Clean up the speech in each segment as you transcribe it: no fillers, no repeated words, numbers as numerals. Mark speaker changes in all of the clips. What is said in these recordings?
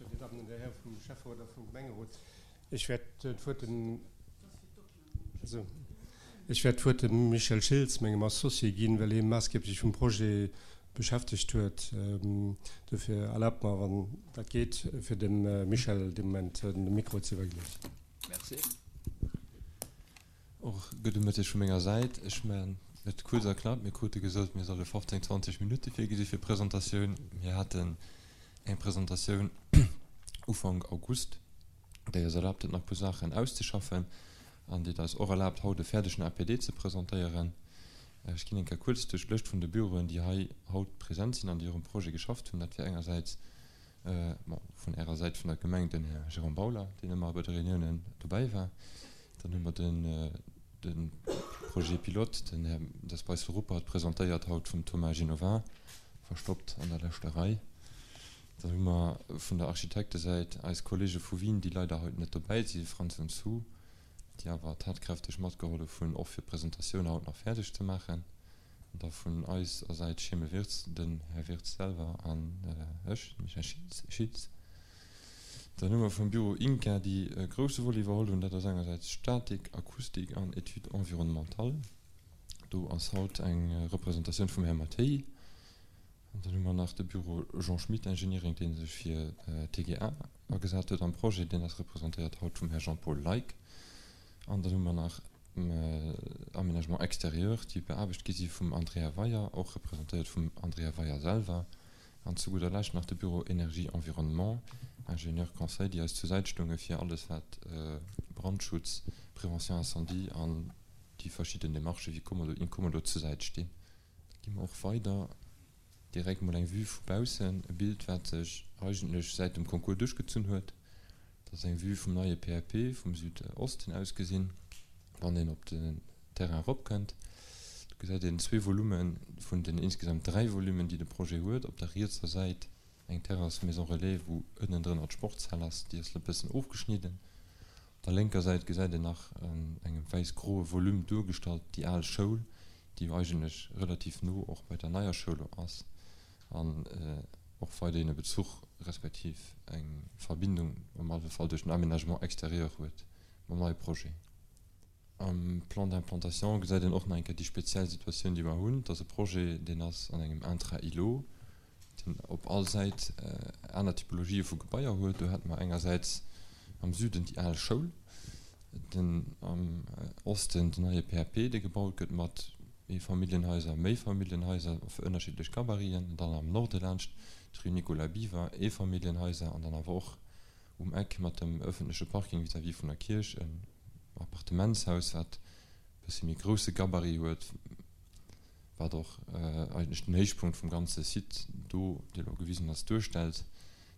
Speaker 1: Buergermeeschter, Dir Dammen an Dir Häre vum Schäfferot a vum Gemengerot, ech wäert d'Wuert dem, also ech wäert d'Wuert dem Michel Schiltz, mengem Associé, ginn, well hie maassgeblech vum Projet beschäftegt huet. Dofir erlaabt mer, wann dat geet, fir dem Michel de Moment de Mikro ze iwwerginn.
Speaker 2: Merci. Och gudde Mëtteg vu menger Säit. Ech maachen et kuerz a knapp. Mir krute gesot, mir solle 15, 20 Minutte virgesi fir d'Presentatioun. Mir haten eng Presentatioun Ufank August, déi eis erlaabt huet, nach e puer Saachen auszeschaffen an déi et eis och erlaabt, haut e fäerdegen APD ze presentéieren. Ech ginn eng Kéier kuerz duerch d'Lëscht vun de Büroen, déi hei haut present sinn an déi och um Projet geschafft hunn. Dat wier engersäits, bon, vun Ärer Säit vun der Gemeng den Här Jérôme Bauler, deen ëmmer bei de Reuniounen dobäi war. Dann hu mer den, de Projet pilote, den Här Des Beissel-Ruppert, presentéiert haut vum Thomas Genovin, verstoppt an der leschter Rei. Dann hu mer vun der Architektesäit eis Kollege vu Wien, déi leider haut net dobäi si, Franz und Sue, déi awer tatkräfteg matgehollef hunn, och fir d'Presentatioun haut nach fäerdeg ze maachen. An da vun eiser Säit Scheme Wirtz, den Här Wirtz selwer an ech, de Michel Schiltz. Dann hu mer vum Büro INCA, déi e grousse Volet iwwerholl hunn, dat ass engersäits Statik, Akustik an Études environnementales. Do ass haut eng Representatioun vum Här Mattéi. An dann hu mer nach de Büro Jean Schmit Engineering, dee sech fir d'TGA agesat huet am Projet. Deen ass representéiert haut vum Här Jean-Paul Leick. An dann hu mer nach Aménagement extérieur, déi beaarbecht gi si vum Andrea Weier, och representéiert vum Andrea Weier selwer. An zu gudder Lescht nach de Büro Énergie Environnement, Ingénieur conseil, déi eis zur Säit stounge fir alles wat Brandschutz, Prévention incendie an déi verschidden Démarchë wéi Kommodo, Incommodo zur Säit stinn. Da gi mer och weider direkt mol eng Vue vu baussen, e Bild wat sech eigentlech säit dem Concours duerchgezunn huet. Dat ass eng Vue vum neie PAP vum Südosten aus gesinn, wann een op den Terrain eropkënnt. Do gesäit een zwee Volume vun den insgesamt 3 Volumen déi de Projet huet. Op der rietser Säit eng Terrasse Maison Relais wou ënnendrënner d'Sportshal ass, déi ass e bëssen ofgeschnidden. Op der lénker Säit gesäit een nach an engem wäiss-groe Volume duergestallt déi al Schoul, déi jo eigentlech relativ no och bei der neier Schoul ass an och weiderhin e Bezuch respektiv eng Verbindung am alle Fall duerch den Aménagement extérieur huet mam neie Projet. Am Plan d'implantation gesäit een och nach eng Kéier déi speziell Situatioun, déi mer hunn. Et ass e Projet, deen ass an engem Intra-îlot, deen op all Säit aner Typologië vu Gebaier huet. Do hätte mer engersäits am Süden déi al Schoul, den am Osten den neie PAP, dee gebaut gëtt mat Eefamilljenhaiser, Méifamilljenhaiser fir ënnerschiddlech Gabariten, an dann am Norde laanscht d'Rue Nicolas Biver Eefamilljenhaiser an dann awer och um Eck mat dem ëffentleche Parking vis-à-vis vun der Kierch en Appartementshaus, wat e bësse méi grousse Gabarit huet. wat och eigentlech den Héichpunkt vum ganze Site do, dee elo gewisen ass, duerstellt.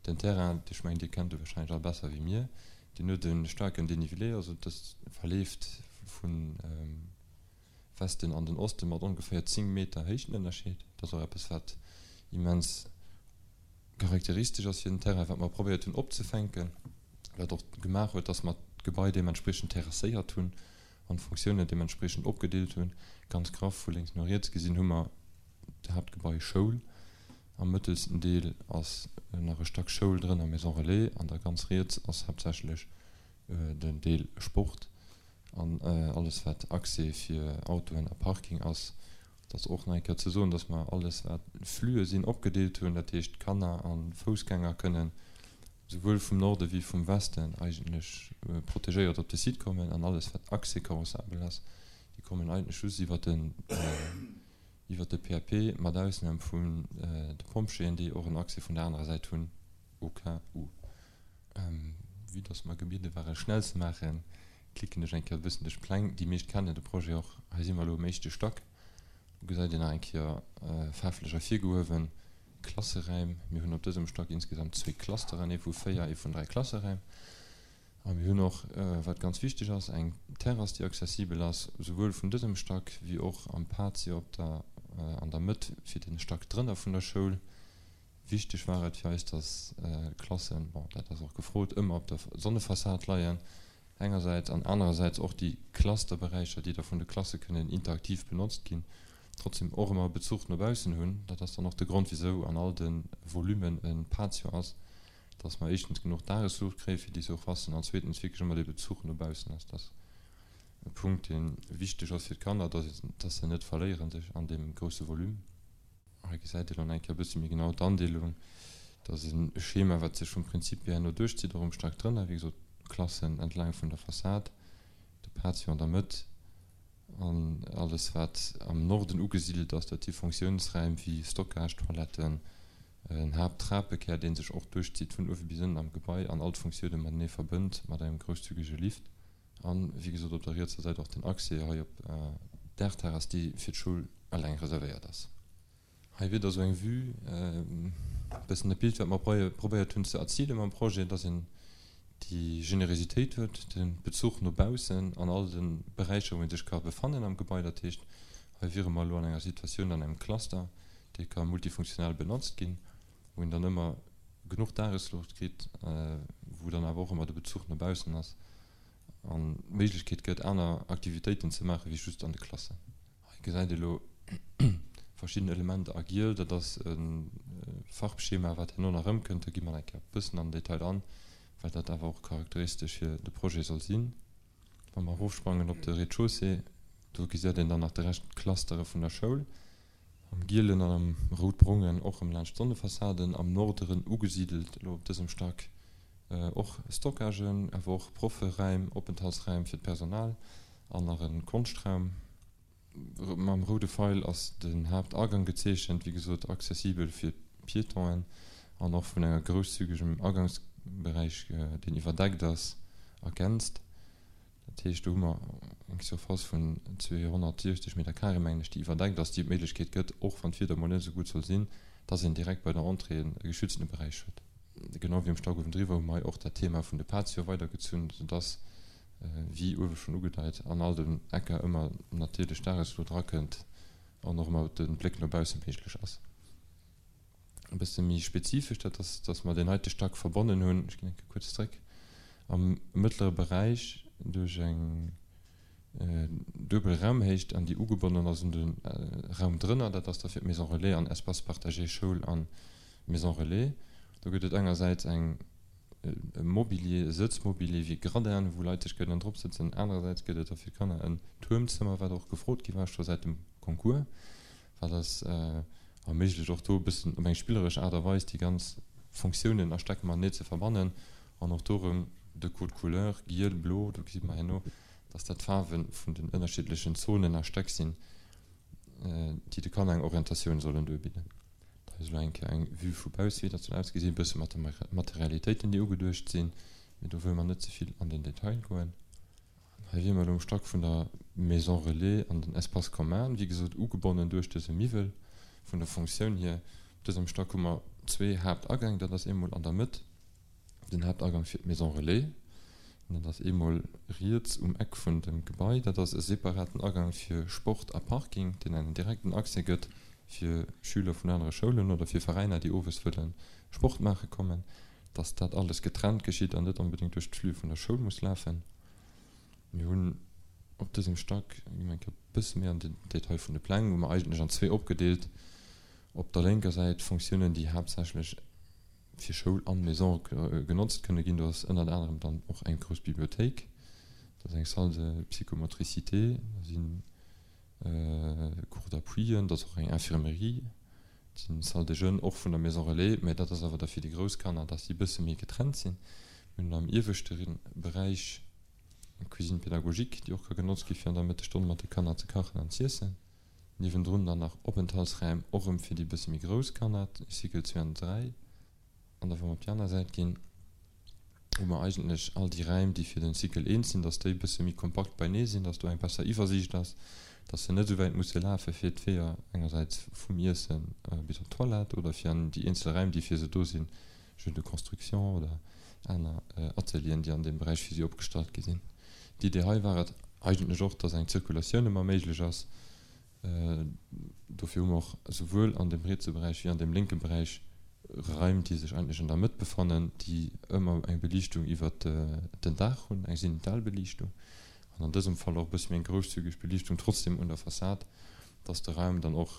Speaker 2: Den Terrain, ech mengen, Dir kennt e wahrscheinlech all besser wéi mir, deen huet e staarken Dénivelé, also dëst verleeft vu Westen an den Oste mat ongeféier 10 Meter Héichtenënnerscheed. Dat ass och eppes, wat immens charakteristesch ass fir den Terrain, wat mer probéiert hunn opzefänken, wat och gemaach huet, dass mer d'Gebai deementspriechend terrasséiert hunn an d'Fonctiounen deementspriechend opgedeelt hunn. Ganz graff vu lénks no riets gesinn hu mer d'Haaptgebai Schoul, am mëttelsten Deel ass nach e Stack Schoul drënner, Maison Relais, an da ganz riets ass haaptsächlech den Deel Sport an alles wat Accès fir Autoen a Parking ass. Et ass och nach eng Kéier ze soen, dass mer alles wat Flüe sinn opgedeelt hunn, dat heescht Kanner a Foussgänger kënnen souwuel vum Norde wéi vum Westen eigentlech protegéiert op de Site kommen an alles wat Accès carrossabel ass, déi kommen eigentlech just iwwert den iwwert de PAP, mat Ausnam vun de Pompjeeën, déi och en Accès vun der anerer Säit hunn, au cas où. Vue dass mer gebiede ware schnell ze maachen, klicken ech eng Kéier e bëssen duerch d'Pläng. Déi meescht kennen de Projet och. Hei si mer elo um éischte Stack. Do gesäit een nach eng Kéier faarflech ervirgehuewen Klasseräim. Mir hunn op dësem Stack insgesamt zwee Clusteren, ee vu véier, ee vun dräi Klasseräim. A mir hunn och, wat ganz wichteg ass, eng Terrass, déi accessibel ass, souwuel vun dësem Stack wéi och am Patio op der, an der Mëtt fir de Stack drënner vun der Schoul. Wichteg war et fir eis, dass d'Klassen, bon, dat ass och gefrot, ëmmer op der Sonnefassad leien engersäits an anerersäits och déi Clusterberäicher, déi da vun de Klasse kënnen interaktiv benotzt ginn, trotzdem och ëmmer e Bezuch no baussen hunn. Dat ass dann och de Grond, wisou an all de Volumen e Patio ass. Dass mer éischtens genuch Dagesluucht kréie fir déi Surfacen an zweetens wierklech ëmmer dee Bezuch no baussen ass. Dat ass e Punkt, dee wichteg ass fir d'Kanner, dass dass se net verléiere sech an deem grousse Volume. Hei gesäit een dann eng Kéier e bësse méi genau d'Andeelung. Dat ass e Schema, wat sech vum Prinzip hier herno duerchzitt, och um Stack drënner. Wéi gesot, d'Klassen entlaang vun der Fassad, de Patio an der Mëtt an alles, wat am Norden ugesidelt ass, dat si Fonctiounsräim wéi Stockage, Toiletten, en Haapttrapekär, dee sech och duerchzitt vun uewe bis ënnen am Gebai an all d'Funktioune matenee verbënnt mat engem grousszügege Lift. An, wéi gesot, op der rietser Säit och den Accès hei op d'Daachterrass, déi fir d'Schoul eleng reservéiert ass. Hei wier da sou eng Vue, e bëssen dat Bild, wat mer probéiert hunn ze erzilen mam Projet, dass een déi Generositéit huet, de Bezuch no baussen an all de Beräicher, wou ee sech ka befannen am Gebai. Dat heescht, hei wiere mer elo an enger Situatioun, an engem Cluster, dee ka multifunktional benotzt ginn, wou een dann ëmmer genuch Dagesluucht kritt, wou dann awer och ëmmer de Bezuch no baussen ass an d'Méiglechkeet gëtt, aner Aktivitéiten ze maache wéi just an de Klassen. Hei gesäit ee lo verschidden Elementer a giel. Dat ass e Farbschema, wat herno nach erëmkënnt. Do gi mer nach eng Kéier e bëssen an den Detail an, well dat awer och charakteristesch fir de Projet soll sinn. Wa mer erofsprangen op de Rez-de-chaussée, do gesäit een dann nach de Rescht, d'Clustere vun der Schoul am gielen an am rout-brongen, och erëm laanscht d'Sonnefassaden, am Norderen ugesidelt, elo op dësem Stack och Stockagen, awer och Profferäim, Openthaltsräim fir d'Personal an nach e Konschtraum. Mam roude Feil ass den Haaptagang gezeechent, wéi gesot accessibel fir Piétonen an och vun enger grousszügegem Agangsberäich, deen iwwerdeckt ass, ergänzt. Dat heescht, do hu mer eng Surface vun 260 Meter carré, mengen ech, déi iwwerdeckt ass, déi d'Méiglechkeet gëtt, och wann d'Wieder mol net esou gutt soll sinn, dass een direkt bei der Entrée e geschütztene Beräich huet. Genau wéi um Stack uewendriwwer hu mer hei och dat Thema vun de Patioe weidergezunn, soudass, wéi uewe schonn ugedeit, an all den Ecker ëmmer natierlech Dagesluucht erakënnt an och ëmmer de Bléck no bausse méiglech ass. E bësse méi spezifesch, dat ass, dass mer deen heite Stack verbonnen hunn, ech ginn eng Kéier kuerz zréck, am mëttlere Beräich duerch eng duebel Raumhéicht an déi ugebonnen ass un de Raum drënner, dat ass da fir d'Maison Relais an Espace partagé Schoul a Maison Relais. Do gëtt et engersäits eng e Mobilier, e Sëtzmobilier wéi Gradin, wou Leit sech kënnen drop sëtzen, anerersäits gëtt et da fir d'Kanner en Tuermzëmmer, wat och gefrot gi war scho säit dem Concours, wat ass erméiglecht och do e bëssen op eng spilleresch Aart a Weis déi ganz Fonctiounen a Stäck matenee ze verbannen an och do erëm de Code couleur, giel, blo, do gesi mer herno, dass dat d'Faarwe vun den ënnerschiddlechen Zonen a Stäck sinn, déi de Kanner eng Orientatioun sollen duerbidden. Hei ass elo eng Kéier eng Vue vu bausse, wéi dat soll ausgesinn, e bësse mat de Materialitéiten, déi ugeduecht sinn, mee do wëlle mer net ze vill an den Detail goen. Hei wiere mer elo um Stack vun der Maison Relais an den Espace commun, wéi gesot ugebonnen duerch dëse Miwwel. Vun der Fonctioun hier, op dësem Stack hu mer zwee Haaptagäng, dat ass eemol an der Mëtt den Haaptagang fir d'Maison Relais an dat ass eemol riets um Eck vun dem Gebai. Dat ass e separaten Agang fir Sport a Parking, deen engem direkten Accès gëtt fir Schüler vun anere Schoulen oder fir Veräiner, déi owes wëlle Sport maache kommen, dass dat alles getrennt geschitt an net onbedéngt duerch d'Flux vun der Schoul muss lafen. Mir hunn op dësem Stack, gi mer eng Kéier e bësse méi an den Detail vun de Pläng, hu mer eigentlech an zwee opgedeelt, op der lénker Säit Fonctiounen, déi haaptsächlech fir Schoul an Maison genotzt kënne ginn. Do ass ënnert anerem dann och eng grouss Bibliothéik, dat ass eng Salle de psychomotricité, do si Cours d'appuien, dat ass och eng Infirmerie, dat sinn Salle des jeunes och vun der Maison relais, mä dat ass awer da fir déi grouss Kanner, dass déi e bësse méi getrennt sinn. Mir hunn am ieweschte Beräich eng Cuisine pédagogique, déi och ka genotzt gi fir an der Mëttesstonn mat de Kanner ze kachen an z'iessen. Niewendrun dann nach Openthaltsräim, och erëm fir déi bësse méi grouss Kanner, Cycle 2 an 3. An da wa mer op déi aner Säit ginn, hu mer eigentlech all déi Räim, déi fir den Cycle 1 sinn, dass déi e bësse méi kompakt beinee sinn, dass do eng besser Iwwersiicht ass, dass se net esou wäit musse lafe fir d'Weeër engersäits vum Iesse bis op d'Toilette oder fir an déi eenzel Räim, déi fir se do sinn, Jeux de construction oder aner Atelieren, déi an deem Beräich fir si opgestallt gi sinn. D'Idee hei war et eigentlech och, dass eng Zirkulatioun ëmmer méiglech ass. Dofir hu mer och esouwuel an deem rietse Beräich wéi an deem lénke Beräich Raim, déi sech eigentlech an der Mëtt befannen, déi ëmmer eng Beliichtung iwwert den Daach hunn, eng Zenitalbeliichtung, an an dësem Fall och e bësse méi eng grousszügeg Beliichtung trotzdem un der Fassad, dass de Raum dann och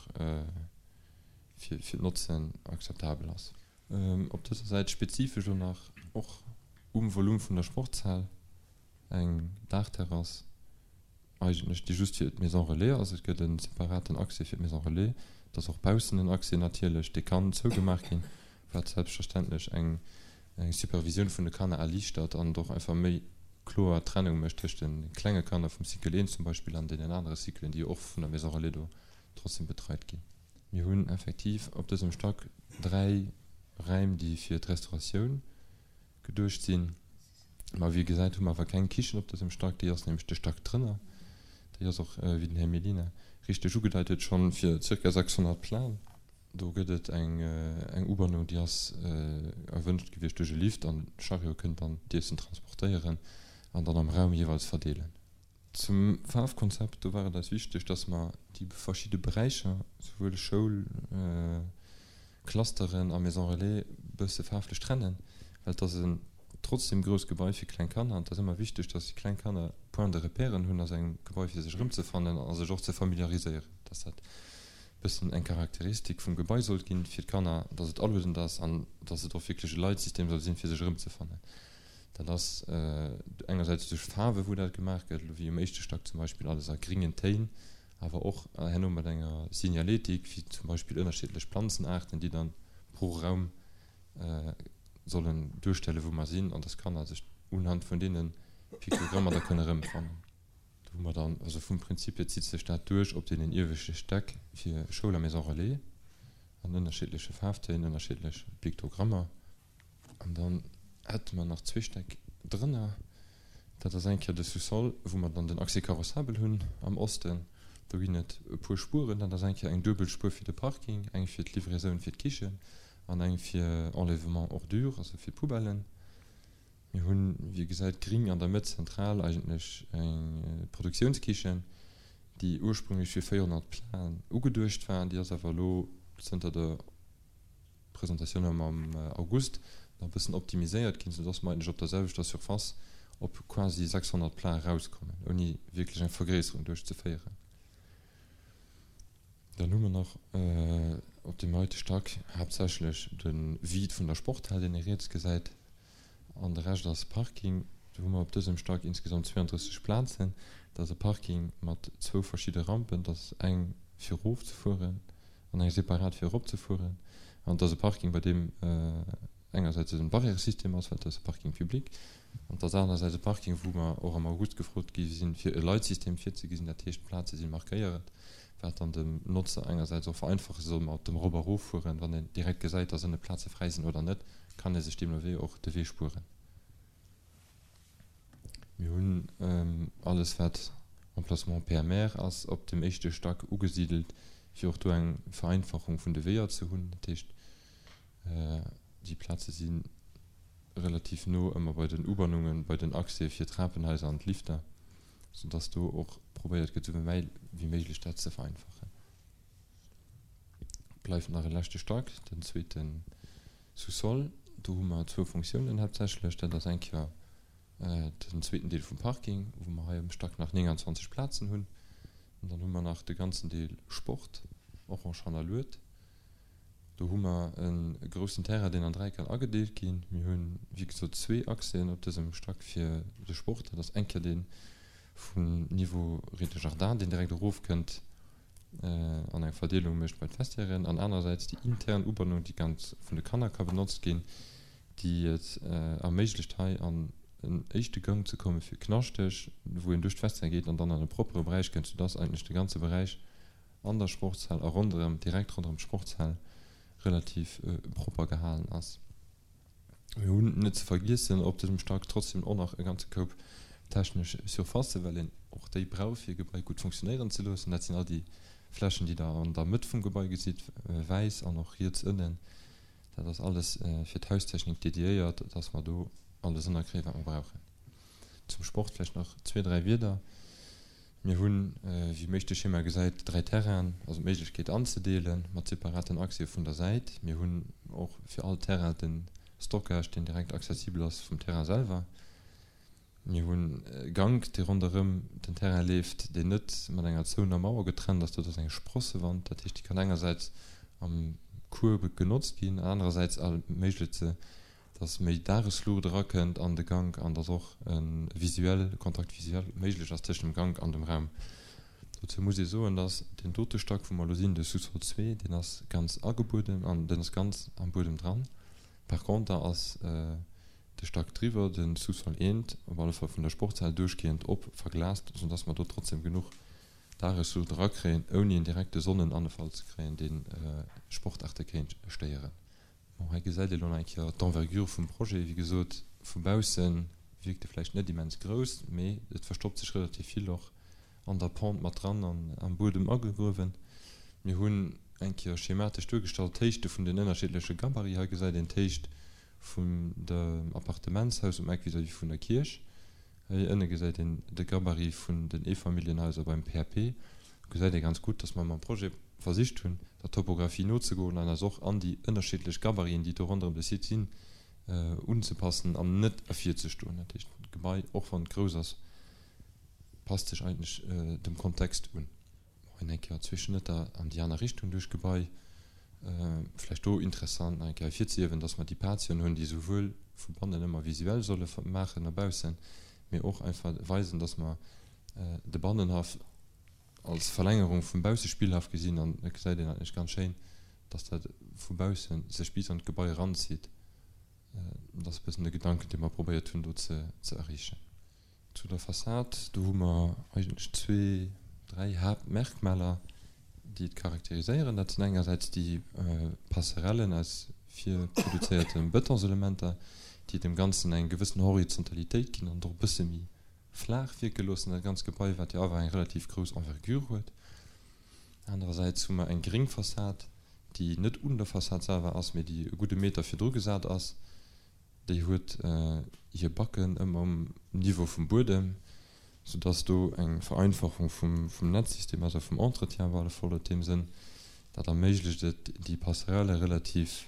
Speaker 2: fir d'Notzen akzeptabel ass. Op dëser Säit spezifesch elo nach och um Volume vun der Sportshal eng Daachterrass, eigentlech, déi just fir d'Maison Relais ass. Et gëtt e separaten Accès fir d'Maison Relais. Et ass och baussen en Accès natierlech, dee kann zougemaach ginn, wat selbstverständlech eng Supervisioun vun de Kanner erliichtert an et och einfach méi kloer Trennung mécht tëscht de klenge Kanner vum Cycle 1 zum Beispill an deenen anere Cyclen, déi jo och vun der Maison Relais do trotzdem betreit ginn. Mir hunn effektiv op dësem Stack 3 Räim, déi fir d'Restauratioun geduecht sinn. Ma wéi ee gesäit, hu mer awer keng Kichen op dësem Stack. Déi ass nämlech de Stack drënner. Déi ass och, wéi den Här Mellina richteg ugedeit huet, schonn fir zirka 600 Plaen. Do gëtt et eng Ubannung, déi ass erwënscht gewiescht duerch e Lift an de Chariot kënnt dann d'Iessen transportéieren an dann am Raum jeeweils verdeelen. Zum Faarfkonzept, do war et eis wichteg, dass mer déi verschidde Beräicher, souwuel Schoul, Clusteren a Maison Relais, bësse faarflech trennen, well et ass en trotzdem grousst Gebai fir kleng Kanner an et ass ëmmer wichteg, dass déi kleng Kanner Point de repèren hunn a sengem Gebai fir sech erëmzefannen a sech och ze familiariséieren, dass dat bëssen eng Charakteristik vum Gebai sollt ginn fir d'Kanner, dass et aluedend ass an dass et och wierklech e Leitsystem soll sinn, fir sech erëmzefannen. Dat ass engersäits duerch Faarwe wou dat gemaach gëtt, elo wéi um éischte Stack zum Beispill alles a gringen Téin, awer och herno mat enger Signaletik, wéi zum Beispill ënnerschiddlech Planzenaarten, déi dann pro Raum sollen duerstelle wou mer sinn an dass Kanner sech unhand vun deene Piktogrammer da kënne erëmfannen. Do hu mer dann, also vum Prinzip hier zitt sech dat duerch op deenen ieweschte Stäck fir Schoul a Maison Relais an ënnerschiddleche Faarftéin, ënnerschiddlech Piktogrammer. An dann hätte mer nach zwee Stäck drënner. Dat ass eng Kéier de Sous-sol, wou mer dann den Accès carrossable hunn am Osten. Do ginn et e puer Spueren. Dat ass eng Kéier eng duebel Spuer fir de Parking, eng fir d'Livraison fir d'Kichen an eng fir Enlèvement ordures, also fir d'Poubellen. Mir hunn, wéi ee gesäit, gring an der Mëtt zentral eigentlech eng Produktiounskichen, déi ursprünglech fir 400 Platen ugeduecht war. Déi ass awer elo zënter der Presentatioun am am August nach e bëssen optimiséiert ginn, soudass mer eigentlech op der selwechter Surface op quasi 600 Plats erauskommen, ouni wierklech eng Vergréisserung duerchzeféieren. Dann hu mer nach op deem heite Stack haaptsächlech de Vide vun der Sporthal, deen ee riets gesäit, an de Rescht ass Parking. Do hu mer op dësem Stack insgesamt 32 Plazen. Dat ass e Parking mat zwou verschidde Rampen, dat ass eng fir erofzefueren an eng separat fir eropzefueren. An et ass e Parking, bei deem engersäits e Barrièresystem ass, well et ass e Parking public, an et ass anersäits e Parking, wou mer och am August gefrot gi sinn, fir e Leitsystem virzegesinn. Dat heescht, d'Plaze si markéiert, wat dann dem Notzer engersäits och vereinfache soll mat dem Erop a Eroffueren. Wann een direkt gesäit, dass ënne Plaze fräi sinn oder net, kann ee sech deemno wéi och de Wee spueren. Mir hunn alles, wat Emplacement PMR ass, op dem éischte Stack ugesidelt, fir och do eng Vereinfachung vun de Weeër ze hunn. Dat heescht, déi Plaze si relativ no ëmmer bei den Ubannungen, bei den Accès fir d'Trapenhaiser an d'Lifter, soudass do och probéiert gëtt, esou wéi méiglech dat ze vereinfachen. Bleift nach e leschte Stack, den zweete Sous-sol. Do hu mer zwou Funktiounen haaptsächlech. Dat ass eng Kéier den zweeten Deel vum Parking, wou mer hei um Stack nach 29 Plazen hunn. An dann hu mer nach de ganzen Deel Sport, orange hannerluet. Do hu mer e groussen Terrain, deen an dräi kann agedeelt ginn. Mir hunn, wéi gesot, zwee Accèsen op dësem Stack fir de Sport. Dat ass eng Kéier dee vum Niveau Rez-de-jardin, deen direkt erofkënnt an eng Verdeelung mécht bei d'Vestiairen, an anerersäits déi intern Ubannung, déi ganz vun de Kanner ka benotzt ginn, déi et erméiglecht hei an en éischte Gank ze komme fir knaschteg, wou een duerch d'Vestiaire geet an dann an e proppere Beräich kënnt, soudass eigentlech de ganze Beräich an der Sportshal a ronderëm, direkt ronderëm d'Sportshal relativ propper gehalen ass. Mir hunn, net ze vergiessen, op dësem Stack trotzdem och nach e ganze Koup technesch Surfacen, well een och déi brauch, fir e Gebai gutt funktionéieren ze loossen. Dat sinn all déi Flächen, déi Der an der Mëtt vum Gebai gesitt, wäiss an och riets ënnen. Dat ass alles fir d'Haustechnik dediéiert, dass mer do alles ënnerkréien, wat mer brauchen. Zum Sport vläicht nach zwee, dräi Wierder. Mir hunn, wéi mécht de Schema gesäit, dräi Terrainen, also d'Méiglechkeet anzedeelen, mat separaten Accèse vun der Säit. Mir hunn och fir all Terrain de Stockage, deen direkt accessibel ass vum Terrain selwer. Mir hunn e Gank, dee ronderëm den Terrain leeft, deen net mat enger zouener Mauer getrennt ass. Dat ass eng Sprossewand, dat heescht, déi kann engersäits am. Course genotzt ginn, anerersäits erméiglecht se, dass méi Dagesluucht erakënnt an de Gank an dass och e visuell, Contact visuel méiglech ass tëschent dem Gank an dem Raum. Dozou muss ee soen, dass deen dote Stack, wou mer elo sinn, de Sous-sol zwee, deen ass ganz agebueden an deen ass ganz am Buedem dran. Par conter ass de Stack driwwer, de Sous-sol eent, op alle Fall vun der Sportshal duerchgehend op verglast, soudass mer do trotzdem genuch Dagesluucht erakréien, ouni en direkte Sonnenanfall ze kréien, dee Sportaarte kéint stéieren. Bon, hei gesäit ee lo nach eng Kéier d'Envergure vum Projet. Wéi gesot, vu bausse wierkt e vläicht net immens grouss, mee et verstoppt sech relativ vill och an der Pente mat dran an am Buedem agegruewen. Mir hunn eng Kéier schematesch duergestallt d'Héichte vun den ënnerschiddleche Gabarit. Hei gesäit een d'Héicht vun dem Appartementshaus um Eck vis-à-vis vun der Kierch. Hei ënne gesäit een de Gabarit vun den Eefamilljenhaiser beim PAP. Do gesäit ee ganz gutt, dass mer mam Projet versicht hunn, der Topographie nozegoen an eis och an déi ënnerschiddlech Gabariten, déi do ronderëm de Site sinn, unzepassen an net ervirzestoen. Dat heescht, d'Gebai, och wann et grouss ass, passt sech eigentlech dem Kontext un. Hei eng Kéier Zwee Schnëtter an déi aner Richtung duerch d'Gebai. Vläicht do interessant nach eng Kéier ervirzehiewen, dass mer déi Patioen hunn, déi souwuel vu bannen ëmmer visuell solle maachen no baussen, mee och einfach weisen, dass mer de Bannenhaff als Verlängerung vum Baussespillhaff gesinn. An et gesäit een eigentlech ganz schéin, dass dat vu bausse sech bis an d'Gebai eranzitt. Dat ass e bëssen de Gedanken, dee mer probéiert hunn do ze erreechen. Zu der Fassad, do hu mer eigentlech zwee, dräi Haaptmerkmaler, déi et charakteriséieren. Dat sinn engersäits déi Passerellen aus virproduzéierte Betonselementer, déi dem Ganzen eng gewëssen Horizontalitéit ginn an et och e bësse méi flaach wierke loossen, dat ganz Gebai, wat jo awer eng relativ grouss Envergure huet. Anerersäits hu mer eng gréng Fassad, déi net un der Fassad selwer ass, mee déi e gudde Meter virdru gesat ass. Déi huet hir Backen ëmmer um Niveau vum Buedem, soudass do eng Vereinfachung vum Netzsystem ass a vum Entretien op alle Fall huet deem Sënn. Dat erméiglecht et, déi Passerelle relativ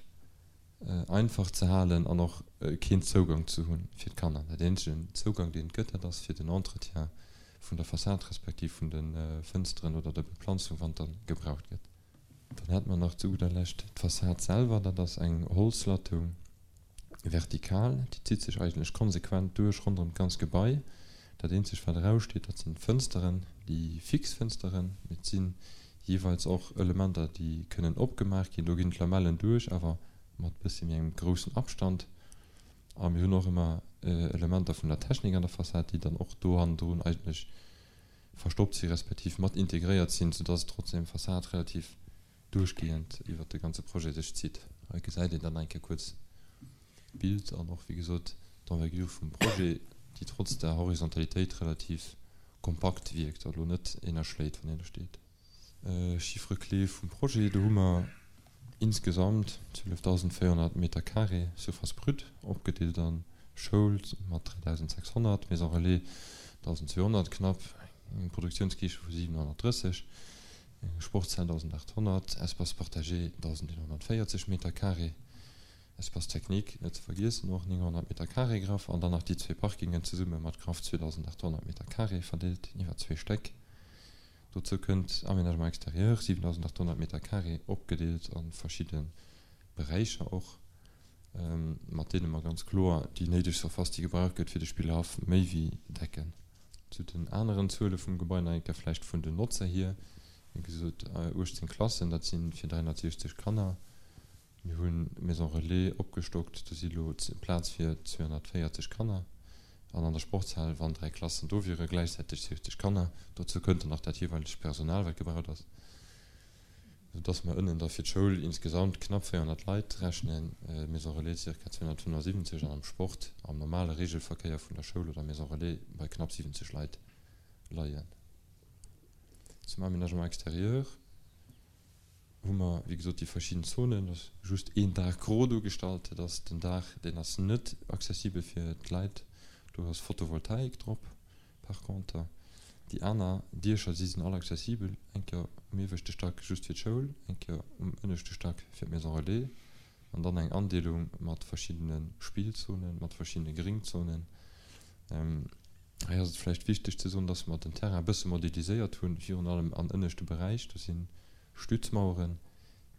Speaker 2: einfach ze halen an och keen Zougang ze hu fir d'Kanner. Dat eenzegen Zougang, deen et gëtt, dat ass fir den Entretien vun der Fassad respektiv vun de Fënsteren oder der Beplanzung, wann et da gebraucht gëtt. Dann hätte mer nach zu gudder Lescht d'Fassad selwer. Dat ass eng Holzlattung vertikal. Déi zitt sech eigentlech konsequent duerch ronderëm d'ganz Gebai. Dat eenzegt, wat eraussteet, dat sinn d'Fënsteren, déi fix Fënsteren. Mee et si jeeweils och Elementer, déi kënnen opgemaach ginn. Do ginn d'Lamellen duerch, awer mat e bëssi méi engem groussen Abstand. A mir hunn och ëmmer Elementer vun der Technik an der Fassad, déi dann och do hannendrun eigentlech verstoppt si respektiv mat integréiert sinn, soudass et trotzdem d'Fassad relativ duerchgehend iwwert de ganze Projet sech zitt. Hei gesäit een dann eng Kéier kuerz d'Bild an och, wéi gesot, d'Envergure vum Projet, déi trotz der Horizontalitéit relativ kompakt wierkt a lo net ënnerschléit, wann een do steet. Chiffre clé vum Projet, do hu mer insgesamt 12.400 Meter carré Surface brute, opgedeelt a Schoul mat 3.600, Maison relais 1.200 knapp, eng Produktiounskiche vu 730, eng Sportshal 1.800, Espace partagé 1.140 Meter carré, Espace technique net ze vergiessen och 900 Meter carré graff an dann nach déi zwee Parkingen zesumme mat graff 2.800 Meter carré verdeelt iwwer zwee Stäck. Dozou kënnt Aménagement extérieur, 7.800 Meter carré, opgedeelt a verschidde Beräicher och, mat deene mer ganz kloer déi néideg Surface, déi gebraucht gëtt fir de Spillhaff, méi wéi decken. Zu den aneren Zuele vum Gebai nach eng Kéier vläicht vun den Notzer hier, Wéi gesot, 18 Klassen, dat si fir 360 Kanner. Mir hunn d'Maison Relais opgestockt, do si lo Plaz fir 240 Kanner. An an der Sportshal, wann 3 Klassen do wieren, gläichzäiteg 70 Kanner. Dozou kënnt dann nach dat jeeweilegt Personal, wat gebraucht ass, sou dass mer ënnen da fir d'Schoul insgesamt knapp 400 Leit rechnen, Maison Relais zirka 275 an am Sport, am normale Regelverkéier vun der Schoul oder Maison Relais bei knapp 70 Leit leien. Zum Aménagement extérieur. hu mer, wéi gesot, déi verschidden Zonen. Et ass just een Daach gro duergestallt. Dat ass den Daach, deen ass net accessibel fir d'Leit. Do ass Photovoltaik drop par conter. Déi aner Diecher, si sinn all accessibel. Eng Kéier um ieweschte Stack just fir d'Schoul, eng Kéier um ënneschte Stack fir d'Maison Relais an dann eng Andeelung mat verschiddene Spillzonen, mat verschiddene Gringzonen. Hei ass et vläicht wichteg ze soen, dass mer den Terrain e bësse modeliséiert hunn, virun allem an ënneschte Beräich. Do si Stützmaueren.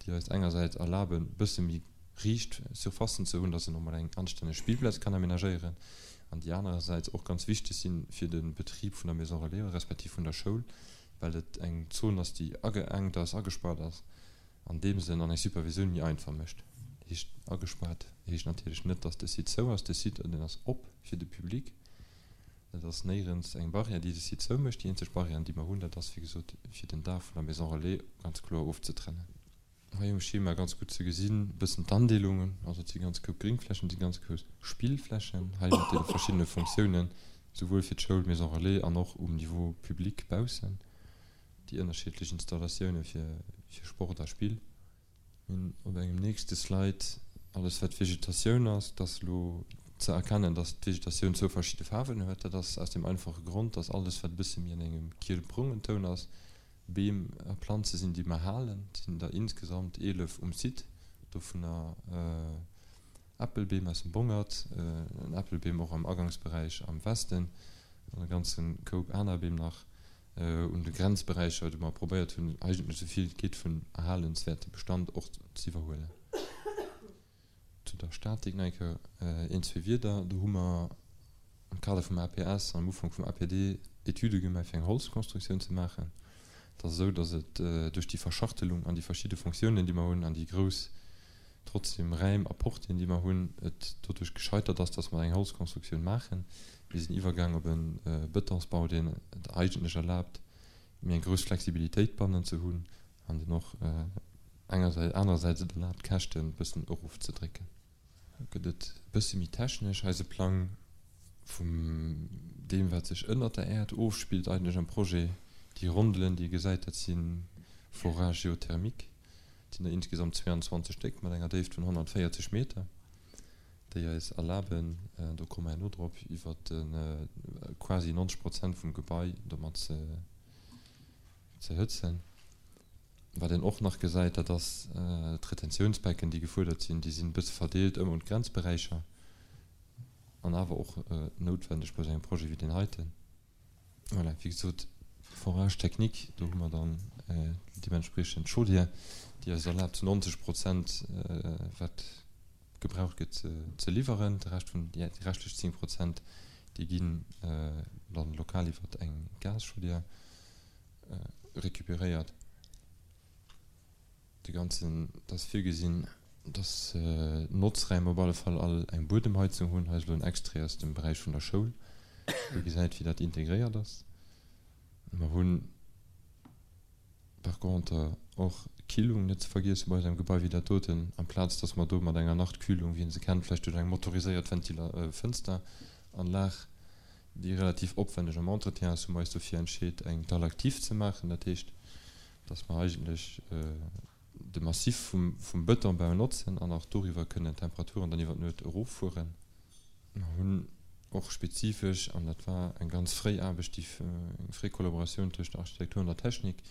Speaker 2: Déi eis engersäits erlaben, e bësse méi riicht Surfacen ze hunn, dass een och mol eng anstänneg Spillplaz kann aménagéieren, an déi anerersäits och ganz wichteg si fir de Betrib vun der Maison relais respektiv vun der Schoul, well et eng Zon ass, déi ageengt ass, agespaart ass an deem Sënn an eng Supervisioun méi einfach mécht. Heescht agespaart heescht natierlech net, dass de Site zou ass. De Site, deen ass op fir de Public. Et ass néierens eng Barrière, déi de Site zoumécht. Déi eenzeg Barrière, déi mer hunn, dat ass, wéi gesot, fir den Daach vun der Maison Relais ganz kloer ofzetrennen. Hei um Schema ganz gutt ze gesinn e bëssen d'Andeelungen. Also et si ganz grouss Gréngflächen, et si ganz grouss Spillflächen hei mat deene verschiddene Fonctiounen, souwuel fir d'Schoul, d'Maison Relais an och um Niveau public baussen, déi ënnerschiddlech Installatioune fir Sport a Spill. Mir hunn op engem nächste Slide alles wat Vegetatioun ass. Et ass elo ze erkennen, dass d'Vegetatioun zwou verschidde Faarwen huet. Dat ass aus deem einfache Grond, dass alles wat e bësse méi an engem kielbrongen Toun ass, Beem a Planze sinn, déi mer halen. Et sinn der insgesamt 11 um Site, dovunner Äppelbeem aus dem Bongert, en Äppelbeem och am Agangsberäich am Westen an e ganze Koup aner Beem nach. un de Grenzberäicher, wou mer probéiert hunn, eigentlech esou vill et geet vun erhalenswäerte Bestand och ze iwwerhuelen. Zu der Statik nach eng Kéier een, zwee Wierder. Do hu mer am Kader vum APS an am Ufank vum APD Etüde gemaach, fir eng Holzkonstruktioun ze maachen. Et ass esou, datt et duerch déi Verschachtelung an déi verschidde Fonctiounen, déi mer hunn, an déi grouss trotzdem Räim a Portien, déi mer hunn, et doduerch gescheitert ass, dass mer eng Holzkonstruktioun maachen. Mir sinn iwwergaang op e Betonsbau, deen et eigentlech erlaabt, méi eng grouss Flexibilitéit bannen ze hunn an deen och engersäits, anerersäits et erlaabt, d'Käschten e bëssen erofzedrécken. Da gëtt et e bësse méi technesch. Eise Plang vum deem, wat sech ënnert der Äerd ofspillt eigentlech am Projet, déi Rondelen, déi ee gesäit, dat si Forages géothermiques. Et sinn der insgesamt 22 Stéck mat enger Déift vun 140 Meter, déi eis erlaben, do komme mer herno drop, iwwer quasi 90 Prozent vum Gebai domat ze hëtzen. Wat een och nach gesäit, dat ass d'Retentiounsbecken, déi gefuerdert sinn. Déi sinn e bësse verdeelt ëm un d'Grenzberäicher an awer och noutwendeg bei esou engem Projet wéi deen heiten. Voilà, wéi gesot, Forage technique, do hu mer dann deementspriechend d'Chaudière, déi eis erlaabt, zu 90 Prozent, wat gebraucht gëtt, ze liwweren. De Rescht vun, déi reschtlech 10 Prozent, déi ginn dann lokal iwwer eng Gaschaudière récupéréiert. De ganzen, et ass virgesinn, dass d'Notzräim op alle Fall all eng Buedemheizung hunn. Hei ass elo en Extrait aus dem Beräich vun der Schoul, wou ee gesäit, wéi dat integréiert ass. Mer hunn par contre och d'Killung net ze vergiessen bei esou engem Gebai wéi dat doten. Amplaz dass mer do mat enger Nachtkühlung, wéi een se kennt, vläicht duerch eng motoriséiert Ventila Fënsteranlag, déi relativ opwänneg am Entretien ass, hu mer eis dofir entscheet, eng Dalle active ze maachen. Dat heescht, dass mer eigentlech de Massif vum Betonbau notzen an och doriwwer kënnen d'Temperaturen dann iwwer d'Nuet eroffueren. Mer hunn och spezifesch, an dat war eng ganz fréi Aarbecht, déi eng fréi Kollaboratioun tëscht der Architektur an der Technik,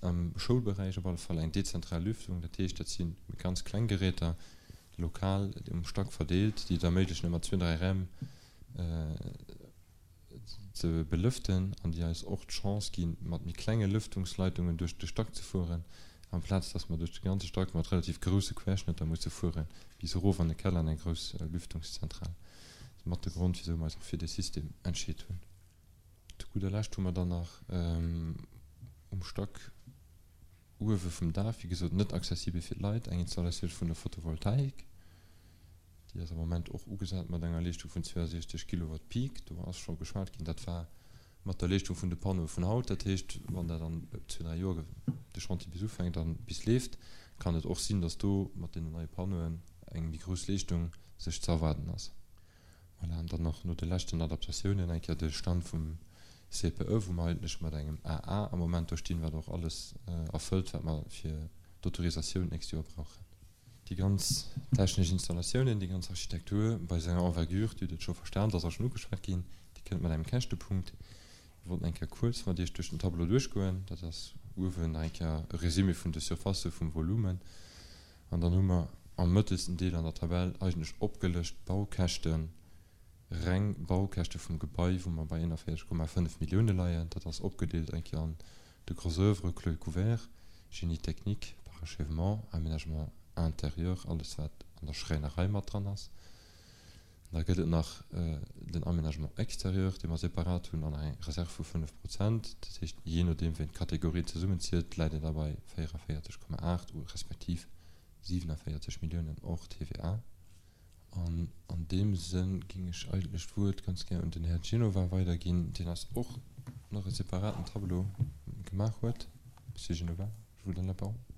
Speaker 2: am Schoulberäich op alle Fall eng dezentral Lüftung, dat heescht, dat si ganz kleng Geräter, lokal um Stack verdeelt, déi et erméiglechen, ëmmer zwee, dräi Räim ze belëften an déi eis och d'Chance ginn, mat méi klenge Lëftungsleitungen duerch de Stack ze fueren, amplaz dass mer duerch de ganze Stack mat relativ grousse Querschnëtter musse fuere bis erof an de Keller an eng grouss Lüftungszentral. Dat ass mat de Grond, wisou mer eis och fir dee System entscheet hunn. Zu gudder Lescht hu mer dann nach um Stack uewe vum Daach, wéi gesot net accessibel fir d'Leit, eng Installatioun vun der Photovoltaik. Déi ass am Moment och ugesat mat enger Leeschtung vun 62 Kilowatt Peak. Do ass scho geschwat ginn, dat war mat der Leeschtung vun de Panneaue vun haut. Dat heescht, wann dat an zwee, dräi Joer de Chantier bis ufänkt a bis leeft, kann et och sinn, datt do mat deenen neie Panneauen eng méi grouss Leeschtung sech ze erwaarden ass. Voilà, an dann nach no de leschten Adaptatiounen eng Kéier de Stand vum CPE, wou mer eigentlech mat engem AA am Moment do stinn, wat och alles erfëllt, wat mer fir d'Autorisatioun d'nächst Joer brauchen. Déi ganz technesch Installatiounen, déi ganz Architektur bei esou enger Envergure, Dir hutt et scho verstan, et ass och schonn ugeschwat ginn, déi kënnt mat engem Käschtepunkt. Mir wollten eng Kéier kuerz mat Iech duerch den Tableau duerchgoen. Dat ass uewen nach eng Kéier e Résumé vun de Surfacë vum Volumen. An dann hu mer am mëttelsten Deel an der Tabell eigentlech opgelëscht d'Baukäschten, reng Baukäschte vum Gebai, wou mer bei 41,5 Millioune leien. Dat ass opgedeelt eng Kéier an de Gros oeuvre, Clos et couvert, Génie technique, Parachutage. Parachèvement, Aménagement intérieur, alles wat an der Schräinerei mat dran ass. Da gëtt et nach den Aménagement extérieur, dee mer separat hunn, an nach eng Reserv vu 5 Prozent. Dat heescht, jee nodeem wéi een d'Kategorien zesummenzielt, läit een da bei 44,8 respektiv 47 Milliounen hors TVA. An an deem Sënn géing ech eigentlech d'Wuert ganz gär un den Här Genova weiderginn, deen eis och nach e separaten Tableau gemaach huet. Monsieur Genova, je vous donne la parole.